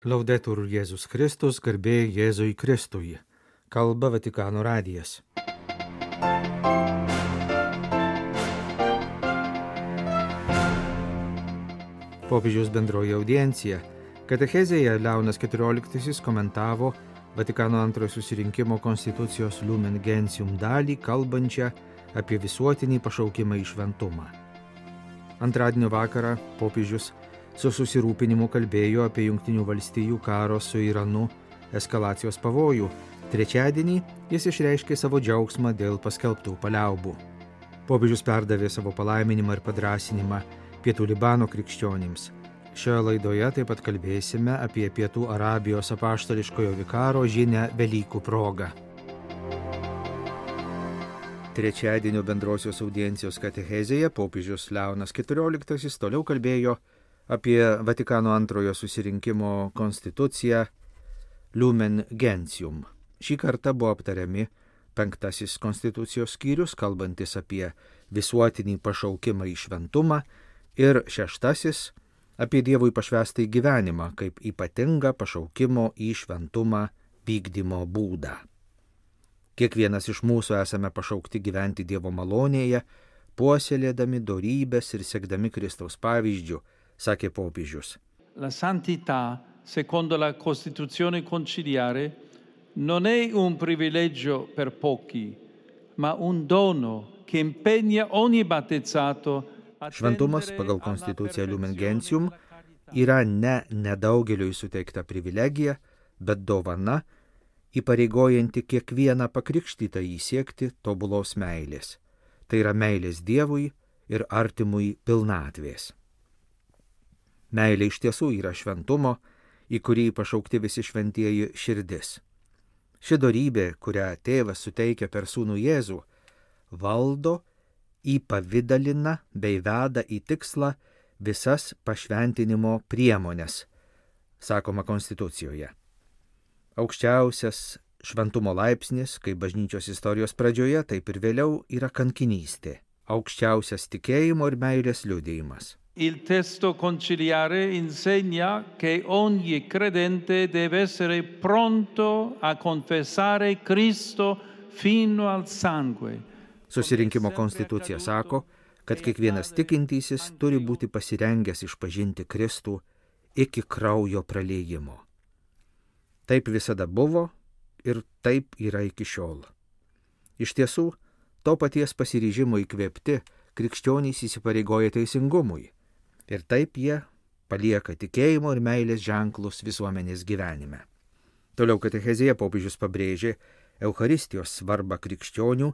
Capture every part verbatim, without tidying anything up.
Laudetur Jėzus Kristus, garbė Jėzui Kristui. Kalba Vatikano radijas. Popiežiaus bendroji audiencija. Katechezėje Leonas keturioliktasis komentavo Vatikano antrojo susirinkimo konstitucijos Lumen Gentium dalį, kalbančią apie visuotinį pašaukimą į šventumą. Antradienio vakarą popiežius su susirūpinimu kalbėjo apie Jungtinių valstijų karo su Iranu eskalacijos pavojų. Trečiadienį jis išreiškė savo džiaugsmą dėl paskelbtų paliaubų. Popiežius perdavė savo palaiminimą ir padrąsinimą Pietų Libano krikščionims. Šioje laidoje taip pat kalbėsime apie Pietų Arabijos apaštališkojo vikaro žinią Velykų proga. Trečiadienio bendrosios audiencijos katechezėje popiežius Leonas keturioliktasis toliau kalbėjo apie Vatikano antrojo susirinkimo konstituciją Lumen Gentium. Šį kartą buvo aptariami penktasis konstitucijos skyrius, kalbantis apie visuotinį pašaukimą į šventumą, ir šeštasis apie Dievui pašvęstąjį gyvenimą kaip ypatingą pašaukimo į šventumą vykdymo būdą. Kiekvienas iš mūsų esame pašaukti gyventi Dievo malonėje, puoselėdami dorybes ir sekdami Kristaus pavyzdžiu, sakė popiežius. La santità, secondo la Costituzione conciliare, non è un privilegio per pochi, ma un dono che impegna ogni battezzato. Šventumas pagal konstituciją Lumen Gentium yra ne nedaugeliui suteikta privilegija, bet dovana, įpareigojanti kiekvieną pakrikštytąjį siekti tobulos meilės. Tai yra meilės Dievui ir artimui pilnatvės. Meilė iš tiesų yra šventumo, į kurį pašaukti visi šventieji širdis. Ši dorybė, kurią tėvas suteikia per sūnų Jėzų, valdo, įpavidalina bei veda į tikslą visas pašventinimo priemonės, sakoma konstitucijoje. Aukščiausias šventumo laipsnis, kaip bažnyčios istorijos pradžioje, taip ir vėliau, yra kankinystė, aukščiausias tikėjimo ir meilės liudijimas. Il testo conciliare insegna che ogni credente deve essere pronto a confessare Cristo fino al sangue. Susirinkimo konstitucija sako, kad kiekvienas tikintysis turi būti pasirengęs išpažinti Kristų iki kraujo praliejimo. Taip visada buvo ir taip yra iki šiol. Iš tiesų, to paties pasiryžimo įkvėpti krikščionys įsipareigoja teisingumui. Ir taip jie palieka tikėjimo ir meilės ženklus visuomenės gyvenime. Toliau katechezėje popiežius pabrėžė Eucharistijos svarbą krikščionių,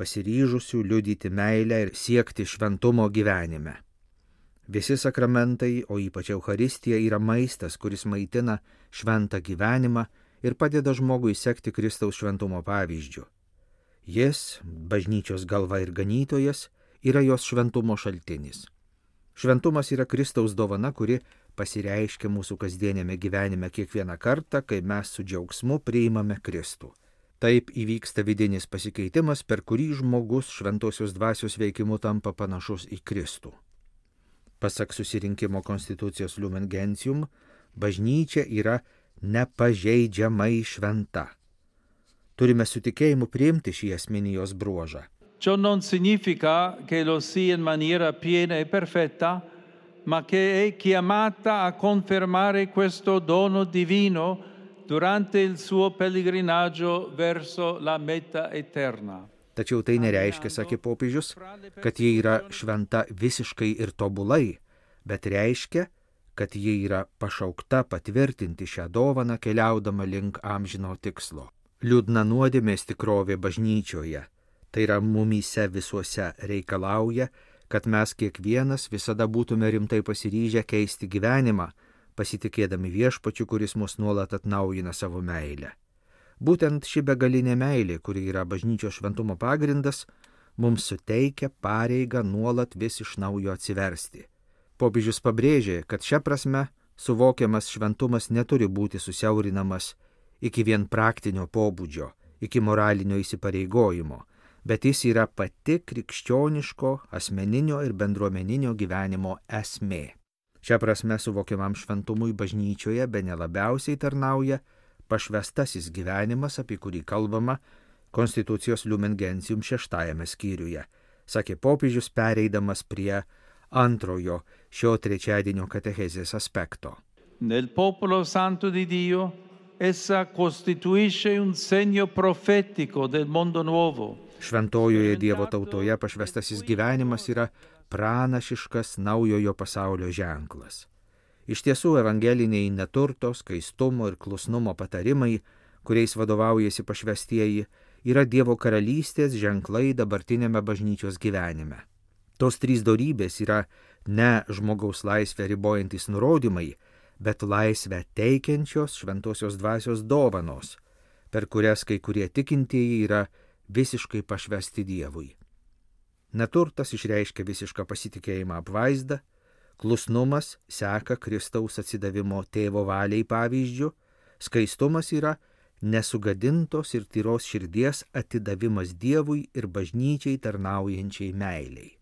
pasiryžusių liudyti meilę ir siekti šventumo gyvenime. Visi sakramentai, o ypač Eucharistija, yra maistas, kuris maitina šventą gyvenimą ir padeda žmogui sekti Kristaus šventumo pavyzdžiu. Jis, bažnyčios galva ir ganytojas, yra jos šventumo šaltinis. Šventumas yra Kristaus dovana, kuri pasireiškia mūsų kasdienėme gyvenime kiekvieną kartą, kai mes su džiaugsmu priimame Kristų. Taip įvyksta vidinis pasikeitimas, per kurį žmogus šventosios dvasios veikimu tampa panašus į Kristų. Pasak susirinkimo konstitucijos Lumen Gentium, bažnyčia yra nepažeidžiamai šventa. Turime su tikėjimu priimti šį esminį jos bruožą. Ciò non significa che lo sia in maniera piena e perfetta, ma che è chiamata a confermare questo dono divino durante il suo pellegrinaggio verso la meta eterna. Tačiau tai nereiškia, sakė popiežius, kad ji yra šventa visiškai ir tobulai, bet reiškia, kad ji yra pašaukta patvirtinti šią dovaną keliaudama link amžino tikslo. Liūdna nuodėmės tikrovė bažnyčioje, tai yra mumyse visuose, reikalauja, kad mes kiekvienas visada būtume rimtai pasiryžę keisti gyvenimą, pasitikėdami viešpačiu, kuris mus nuolat atnaujina savo meilę. Būtent ši begalinė meilė, kuri yra bažnyčios šventumo pagrindas, mums suteikia pareigą nuolat vis iš naujo atsiversti. Popiežius pabrėžė, kad šia prasme suvokiamas šventumas neturi būti susiaurinamas iki vien praktinio pobūdžio, iki moralinio įsipareigojimo, bet jis yra pati krikščioniško, asmeninio ir bendruomeninio gyvenimo esmė. Šia prasme suvokiamam šventumui bažnyčioje bene labiausiai tarnauja pašvestasis gyvenimas, apie kurį kalbama Konstitucijos Lumen Gentium šeštajame skyriuje, sakė popiežius pereidamas prie antrojo šio trečiadienio katechezės aspekto. Nel popolo santo di Dio essa costituisce un segno profetico del mondo nuovo. Šventojoje Dievo tautoje pašvestasis gyvenimas yra pranašiškas naujojo pasaulio ženklas. Iš tiesų evangeliniai neturto, skaistumo ir klusnumo patarimai, kuriais vadovaujasi pašvestieji, yra Dievo karalystės ženklai dabartinėme bažnyčios gyvenime. Tos trys dorybės yra ne žmogaus laisvę ribojantis nurodymai, bet laisvę teikiančios šventosios dvasios dovanos, per kurias kai kurie tikintieji yra visiškai pašvesti Dievui. Neturtas išreiškia visišką pasitikėjimą apvaizdą, klusnumas seka Kristaus atsidavimo tėvo valiai pavyzdžiu, skaistumas yra nesugadintos ir tyros širdies atidavimas Dievui ir bažnyčiai tarnaujančiai meiliai.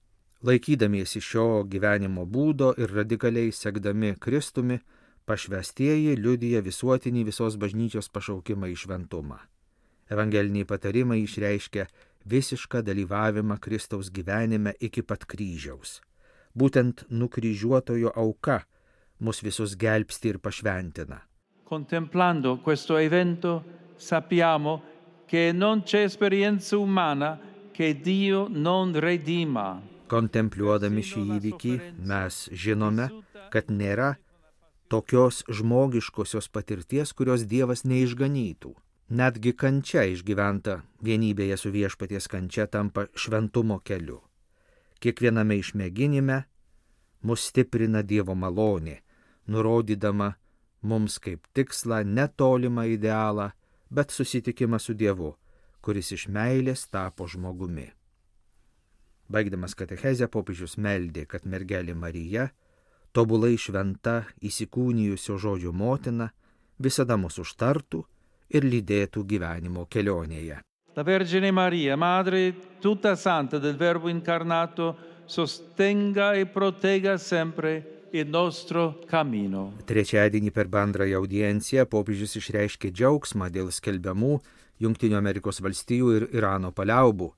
Laikydamiesi šio gyvenimo būdo ir radikaliai sekdami Kristumi, pašvestieji liudija visuotinį visos bažnyčios pašaukimą į šventumą. Evangeliniai patarimai išreiškia visišką dalyvavimą Kristaus gyvenime iki pat kryžiaus. Būtent nukryžiuotojo auka mus visus gelbsti ir pašventina. Contemplando questo evento sappiamo che non c'è esperienza umana che Dio non redima. Kontempliuodami šį įvykį mes žinome, kad nėra tokios žmogiškosios patirties, kurios Dievas neišganytų. Netgi kančia išgyventa vienybėje su viešpaties kančia tampa šventumo keliu. Kiekviename išmėginime mus stiprina Dievo malonė, nurodydama mums kaip tikslą netolimą idealą, bet susitikimą su Dievu, kuris iš meilės tapo žmogumi. Baigdamas katechezę popiežius meldė, kad mergelė Marija, tobulai šventa įsikūnijusio žodžio motina, visada mus užtartų ir lydėtų gyvenimo kelionėje. La Vergine Maria, Madre tutta santa del Verbo incarnato, sostenga e protegga sempre il nostro cammino. Trečiadienį per bendrąją audienciją popiežius išreiškė džiaugsmą dėl skelbiamų Jungtinių Amerikos valstijų ir Irano paliaubų,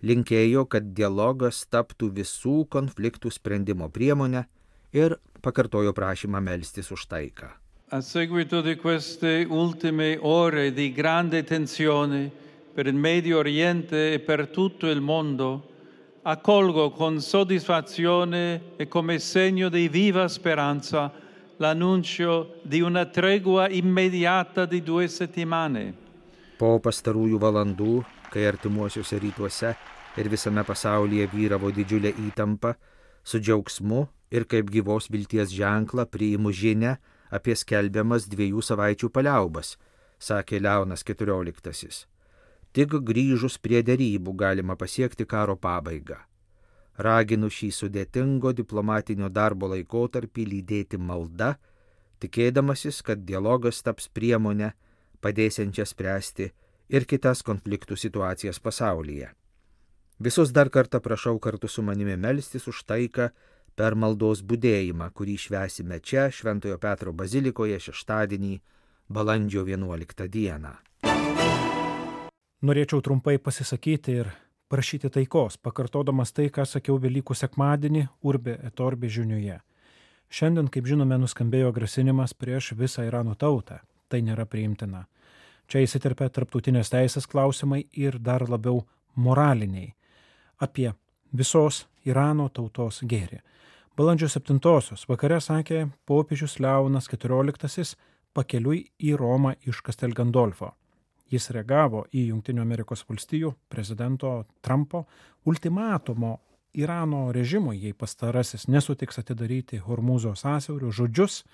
linkėjo, kad dialogas taptų visų konfliktų sprendimo priemonę ir pakartojo prašymą melstis už taiką. A seguito di queste ultime ore di grande tensione per il Medio Oriente e per tutto il mondo, accolgo con soddisfazione e come segno di viva speranza l'annuncio di una tregua immediata di due settimane. Po pastarųjų valandų, kai artimuosiuose rytuose ir visame pasaulyje vyravo didžiulė įtampa, su džiaugsmu ir kaip gyvos vilties ženklą priimu žinią apie skelbiamas dviejų savaičių paliaubas, sakė Leonas keturioliktasis. Tik grįžus prie derybų galima pasiekti karo pabaigą. Raginu šį sudėtingo diplomatinio darbo laikotarpį lydėti malda, tikėdamasis, kad dialogas taps priemonę, padėsiančią spręsti ir kitas konfliktų situacijas pasaulyje. Visus dar kartą prašau kartu su manimi melstis už taiką per maldos budėjimą, kurį švęsime čia, Šventojo Petro bazilikoje šeštadienį, balandžio vienuoliktą dieną. Norėčiau trumpai pasisakyti ir prašyti taikos, pakartodamas tai, ką sakiau Velykų sekmadienį Urbi et Orbi žinioje. Šiandien, kaip žinome, nuskambėjo grasinimas prieš visą Irano tautą. Tai nėra priimtina. Čia įsiterpia tarptautinės teisės klausimai ir dar labiau moraliniai apie visos Irano tautos gėrį. Balandžio septintosios vakare sakė popiežius Leonas keturioliktasis pakeliui į Romą iš Castel Gandolfo. Jis reagavo į Jungtinių Amerikos valstijų prezidento Trumpo ultimatumo Irano režimui, jei pastarasis nesutiks atidaryti Hormūzo sąsiaurio žodžius,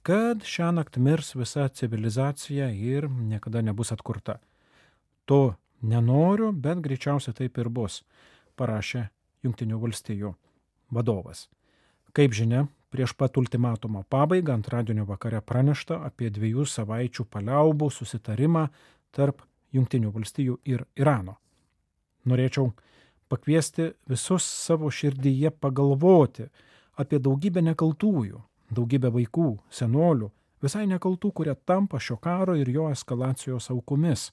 kad šią naktį mirs visa civilizacija ir niekada nebus atkurta. To nenoriu, bet greičiausiai taip ir bus, parašė Jungtinių valstijų vadovas. Kaip žinia, prieš pat ultimatumo pabaigą antradienio vakare pranešta apie dviejų savaičių paliaubų susitarimą tarp Jungtinių valstijų ir Irano. Norėčiau pakviesti visus savo širdyje pagalvoti apie daugybę nekaltųjų, daugybė vaikų, senolių, visai nekaltų, kurie tampa šio karo ir jo eskalacijos aukomis.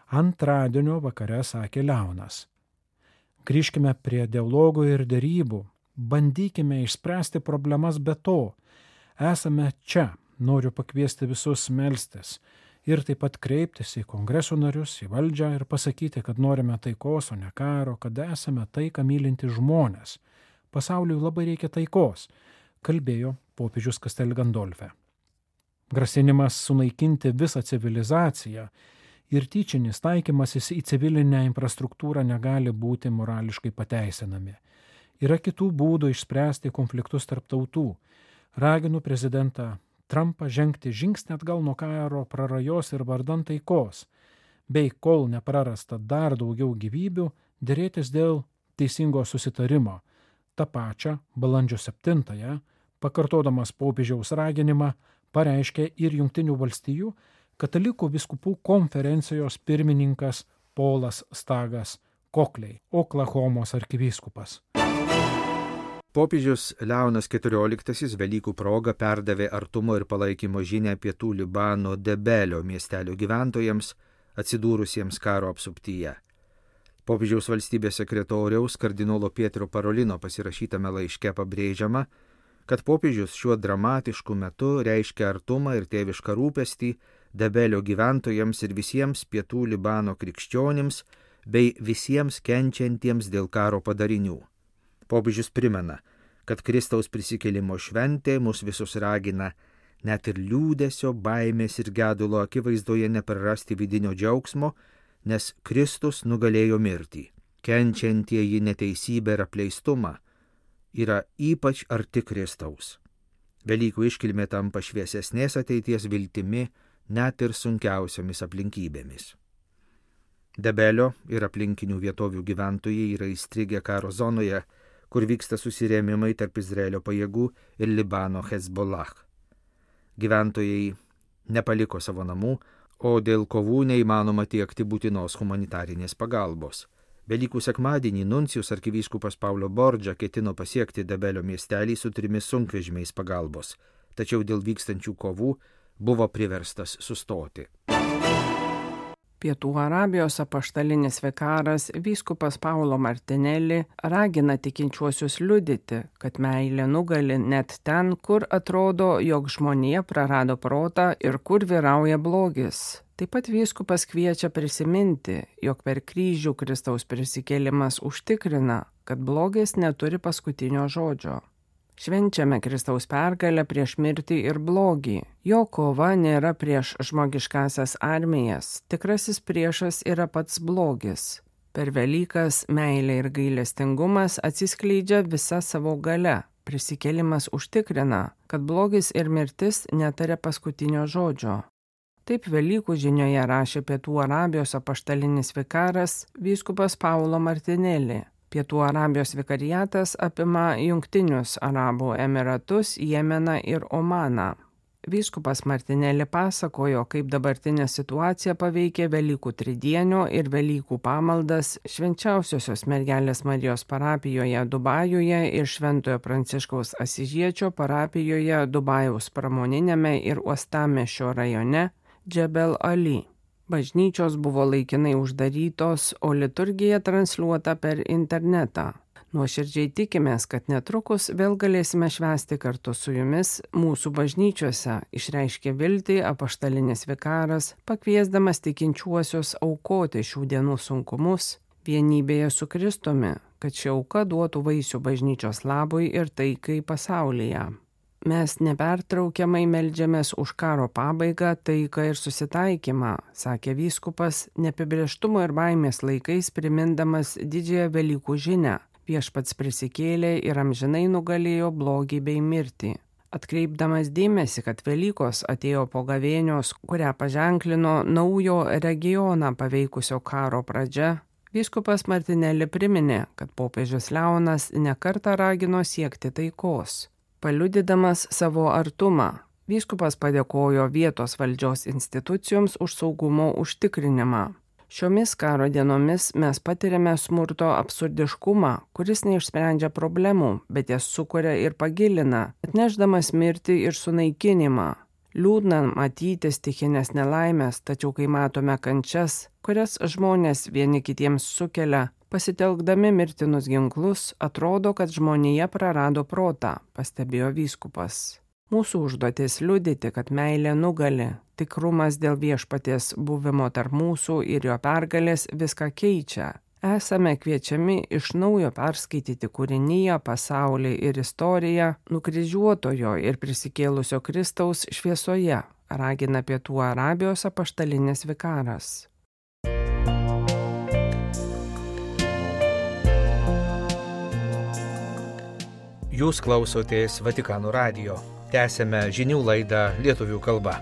Antradienio vakare sakė Leonas. Grįžkime prie dialogų ir derybų, bandykime išspręsti problemas be to. Esame čia, noriu pakviesti visus melstis ir taip pat kreiptis į kongreso narius, į valdžią ir pasakyti, kad norime taikos, o ne karo, kad esame taiką mylinti žmonės. Pasauliui labai reikia taikos, kalbėjo popiežius Castel Gandolfe. Grasinimas sunaikinti visą civilizaciją ir tyčinis taikymasis į civilinę infrastruktūrą negali būti morališkai pateisinami. Yra kitų būdų išspręsti konfliktus tarp tautų. Raginu prezidentą Trumpą žengti žingsnį atgal nuo karo prarajos ir vardan taikos, bei kol neprarasta dar daugiau gyvybių, dėrėtis dėl teisingo susitarimo. Ta pačia balandžio septintąją, pakartodamas popiežiaus raginimą, pareiškė ir Jungtinių valstijų katalikų vyskupų konferencijos pirmininkas Polas Stagas Kokliai, Oklahomos arkivyskupas. Popiežius Leonas keturioliktasis Velykų proga perdavė artumo ir palaikymo žinią pietų Libano Debelio miestelio gyventojams atsidūrusiems karo apsuptyje. Popiežiaus valstybės sekretoriaus kardinolo Pietro Parolino pasirašytame laiške pabrėžiama, kad popiežius šiuo dramatišku metu reiškia artumą ir tėvišką rūpestį Debelio gyventojams ir visiems pietų Libano krikščionims bei visiems kenčiantiems dėl karo padarinių. Popiežius primena, kad Kristaus prisikėlimo šventė mus visus ragina net ir liūdesio, baimės ir gedulo akivaizdoje neprarasti vidinio džiaugsmo, nes Kristus nugalėjo mirtį. Kenčiantieji neteisybę ir apleistumą yra ypač arti Kristaus. Velykų iškilmė tampa šviesesnės ateities viltimi net ir sunkiausiomis aplinkybėmis. Debelio ir aplinkinių vietovių gyventojai yra įstrigę karo zonoje, kur vyksta susirėmimai tarp Izraelio pajėgų ir Libano Hezbollah. Gyventojai nepaliko savo namų, o dėl kovų neįmanoma tiekti būtinos humanitarinės pagalbos. Velykų sekmadienį nuncijus arkivyskupas Paulo Borgia ketino pasiekti Debelio miestelį su trimis sunkvežimiais pagalbos, tačiau dėl vykstančių kovų buvo priverstas sustoti. Pietų Arabijos apaštalinis vikaras vyskupas Paulo Martinelli ragina tikinčiuosius liudyti, kad meilė nugali net ten, kur atrodo, jog žmonija prarado protą ir kur vyrauja blogis. Taip pat vyskupas kviečia prisiminti, jog per kryžių Kristaus prisikėlimas užtikrina, kad blogis neturi paskutinio žodžio. Švenčiame Kristaus pergalę prieš mirtį ir blogį. Jo kova nėra prieš žmogiškasias armijas, tikrasis priešas yra pats blogis. Per Velykas meilė ir gailestingumas atsiskleidžia visa savo gale. Prisikėlimas užtikrina, kad blogis ir mirtis netaria paskutinio žodžio. Taip Velykų žinioje rašė Pietų Arabijos apaštalinis vikaras vyskupas Paulo Martinelli. Pietų Arabijos vikariatas apima Jungtinius Arabų Emiratus, Jemeną ir Omaną. Vyskupas Martinelli pasakojo, kaip dabartinė situacija paveikė Velykų tridienio ir Velykų pamaldas Švenčiausiosios mergelės Marijos parapijoje Dubajuje ir Šventojo Pranciškaus Asižiečio parapijoje Dubajaus pramoninėme ir Uostamiesčio rajone Džebel Ali. Bažnyčios buvo laikinai uždarytos, o liturgija transliuota per internetą. Nuoširdžiai tikimės, kad netrukus vėl galėsime švęsti kartu su jumis mūsų bažnyčiose, išreiškė viltį apaštalinis vikaras, pakviesdamas tikinčiuosius aukoti šių dienų sunkumus vienybėje su Kristumi, kad ši auka duotų vaisių bažnyčios labui ir taikai pasaulyje. Mes nepertraukiamai meldžiamės už karo pabaigą, taiką ir susitaikymą, sakė vyskupas, neapibrėžtumo ir baimės laikais primindamas didžiąją Velykų žinią. Viešpats prisikėlė ir amžinai nugalėjo blogį bei mirtį. Atkreipdamas dėmesį, kad Velykos atėjo po gavėnios, kurią paženklino naujo regioną paveikusio karo pradžia, vyskupas Martinelli priminė, kad popiežius Leonas nekartą ragino siekti taikos. Paliudydamas savo artumą, vyskupas padėkojo vietos valdžios institucijoms už saugumo užtikrinimą. Šiomis karo dienomis mes patiriame smurto absurdiškumą, kuris neišsprendžia problemų, bet jas sukuria ir pagilina, atnešdamas mirtį ir sunaikinimą. Liūdna matyti stichinės nelaimės, tačiau kai matome kančias, kurias žmonės vieni kitiems sukelia, pasitelkdami mirtinus ginklus, atrodo, kad žmonija prarado protą, pastebėjo vyskupas. Mūsų užduotis liudyti, kad meilė nugali, tikrumas dėl viešpaties buvimo tarp mūsų ir jo pergalės viską keičia. Esame kviečiami iš naujo perskaityti kūriniją, pasaulį ir istoriją nukryžiuotojo ir prisikėlusio Kristaus šviesoje, ragina Pietų Arabijos apaštalinis vikaras. Jūs klausotės Vatikano radijo. Tęsėme žinių laidą lietuvių kalba.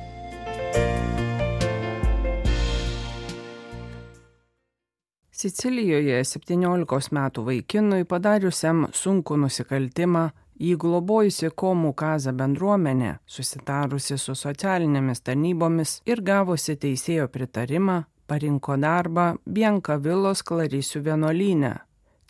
Sicilijoje septyniolikos metų vaikinui padariusiam sunkų nusikaltimą jį globojusi Komų Kaza bendruomenė, susitarusi su socialinėmis tarnybomis ir gavusi teisėjo pritarimą, parinko darbą Biancavillos Klarisių vienuolyne.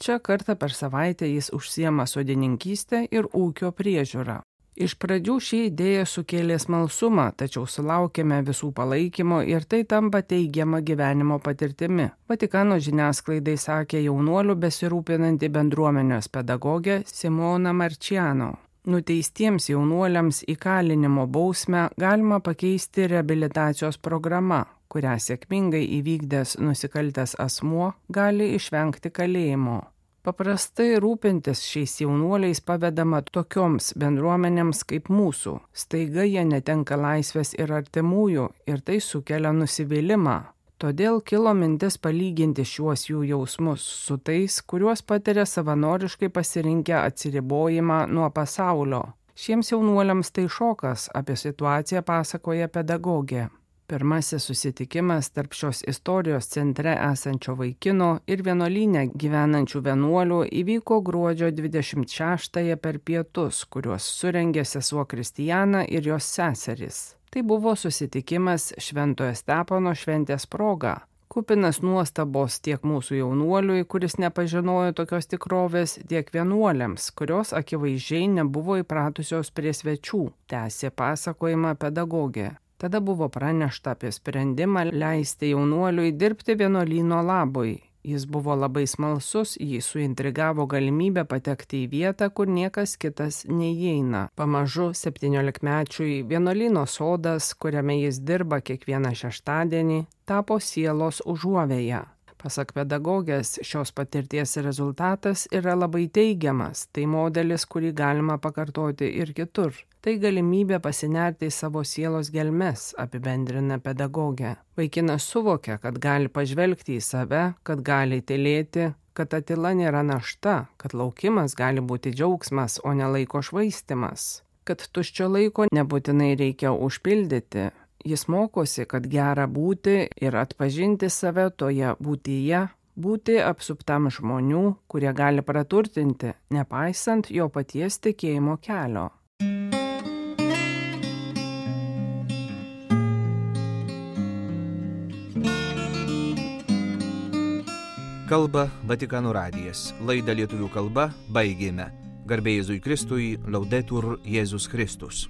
Čia kartą per savaitę jis užsiema sodininkystę ir ūkio priežiūrą. Iš pradžių ši idėja sukėlė smalsumą, tačiau sulaukėme visų palaikymo ir tai tampa teigiama gyvenimo patirtimi. Vatikano žiniasklaidai sakė jaunuolių besirūpinanti bendruomenės pedagogė Simona Marčiano. Nuteistiems jaunuoliams įkalinimo bausmę galima pakeisti reabilitacijos programa, kurią sėkmingai įvykdęs nusikaltęs asmuo gali išvengti kalėjimo. Paprastai rūpintis šiais jaunuoliais pavedama tokioms bendruomenėms kaip mūsų. Staiga jie netenka laisvės ir artimųjų ir tai sukelia nusivylimą. Todėl kilo mintis palyginti šiuos jų jausmus su tais, kuriuos patiria savanoriškai pasirinkę atsiribojimą nuo pasaulio. Šiems jaunuoliams tai šokas, apie situaciją pasakoja pedagogė. Pirmasis susitikimas tarp šios istorijos centre esančio vaikino ir vienuolyne gyvenančių vienuolių įvyko gruodžio dvidešimt šeštąją per pietus, kuriuos surengė sesuo Kristijana ir jos seserys. Tai buvo susitikimas Šventojo Stepono šventės proga. Kupinas nuostabos tiek mūsų jaunuoliui, kuris nepažinojo tokios tikrovės, tiek vienuoliams, kurios akivaizdžiai nebuvo įpratusios prie svečių, tęsė pasakojimą pedagogė. Tada buvo pranešta apie sprendimą leisti jaunuoliui dirbti vienuolyno labui. Jis buvo labai smalsus, jį suintrigavo galimybę patekti į vietą, kur niekas kitas neįeina. Pamažu septyniolikmečiui vienuolyno sodas, kuriame jis dirba kiekvieną šeštadienį, tapo sielos užuovėja. Pasak pedagogės, šios patirties rezultatas yra labai teigiamas, tai modelis, kurį galima pakartoti ir kitur. Tai galimybė pasinerti į savo sielos gelmes, apibendrina pedagogė. Vaikinas suvokia, kad gali pažvelgti į save, kad gali tylėti, kad ta tyla nėra našta, kad laukimas gali būti džiaugsmas, o ne laiko švaistimas, kad tuščio laiko nebūtinai reikia užpildyti. Jis mokosi, kad gera būti ir atpažinti save toje būtyje, būti apsuptam žmonių, kurie gali praturtinti, nepaisant jo paties tikėjimo kelio. Kalba Vatikano radijas. Laidą lietuvių kalba baigėme. Garbė Jėzui Kristui, Laudetur Jėzus Kristus.